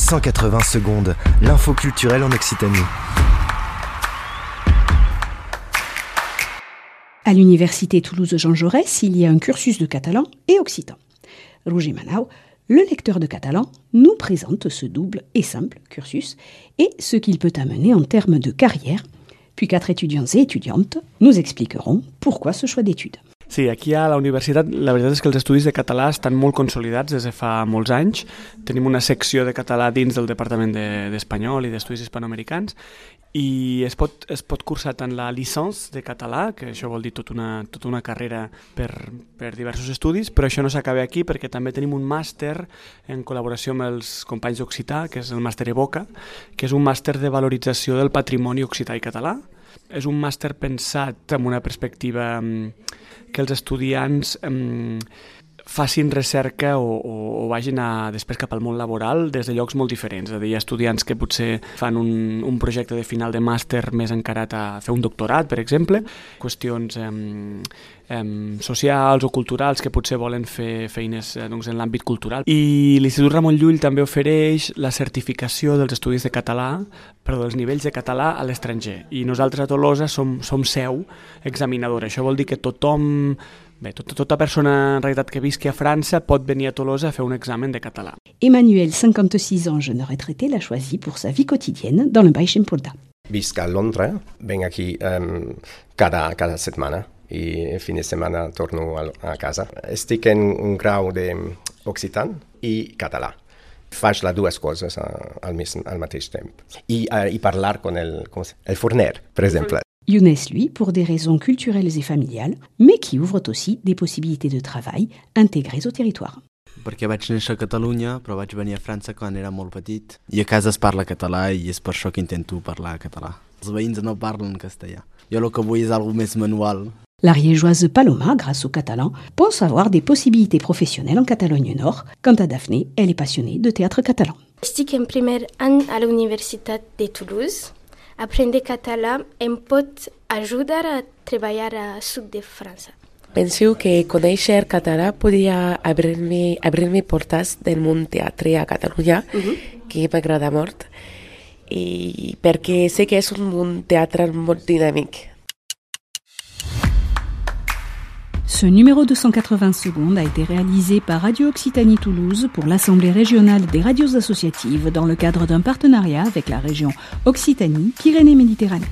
180 secondes, l'info culturelle en Occitanie. À l'université Toulouse Jean Jaurès, il y a un cursus de catalan et occitan. Roger Manau, le lecteur de catalan, nous présente ce double et simple cursus et ce qu'il peut amener en termes de carrière. Puis 4 étudiants et étudiantes nous expliqueront pourquoi ce choix d'études. Sí, aquí a la universitat la veritat és que els estudis de català estan molt consolidats des de fa molts anys. Tenim una secció de català dins del Departament d'Espanyol i d'Estudis Hispanoamericans i es pot cursar tant la licència de català, que això vol dir tota una carrera per diversos estudis, però això no s'acaba aquí perquè també tenim un màster en col·laboració amb els companys d'Occità, que és el màster Evoca, que és un màster de valorització del patrimoni occità i català. És un màster pensat amb una perspectiva que els estudiants facin recerca o vagin després cap al món laboral des de llocs molt diferents. És a dir, hi ha estudiants que potser fan un projecte de final de màster més encarat a fer un doctorat, per exemple, qüestions socials o culturals que potser volen fer feines en l'àmbit cultural. I l'Institut Ramon Llull també ofereix la certificació dels estudis de català, dels nivells de català a l'estranger. I nosaltres a Tolosa som seu examinadora. Això vol dir que tothom, tota persona en realitat que visqui a França pot venir a Tolosa a fer un examen de català. Emmanuel, 56 ans, jeune retraité, l'a choisi pour sa vie quotidienne dans le Baix Empordà. Visc a Londres, venc aquí cada setmana i fin de setmana torno a casa. Estic en un grau d'occitan i català. Faig les dues coses al mateix temps. I parlar con el forner, per exemple. Younes, lui, pour des raisons culturelles et familiales, mais qui ouvrent aussi des possibilités de travail intégrées au territoire. Perquè vaig néixer a Catalunya, però vaig venir a França quan era molt petit. I a casa es parla català i és per això que intento parlar català. Els veïns no parlen castellà. Jo el que vull és alguna més manual. L'ariégeoise Paloma, grâce au catalan, pense avoir des possibilités professionnelles en Catalogne Nord. Quant à Daphné, elle est passionnée de théâtre catalan. Estic en primer any a la Universitat de Toulouse. Aprendre català em pot ajudar a treballar al sud de França. Penso que conèixer català podria obrir-me portes del món teatre a Catalunya, que m'agrada molt, i perquè sé que és un món teatre molt dinàmic. Ce numéro de 180 secondes a été réalisé par Radio Occitanie Toulouse pour l'Assemblée régionale des radios associatives dans le cadre d'un partenariat avec la région Occitanie-Pyrénées-Méditerranée.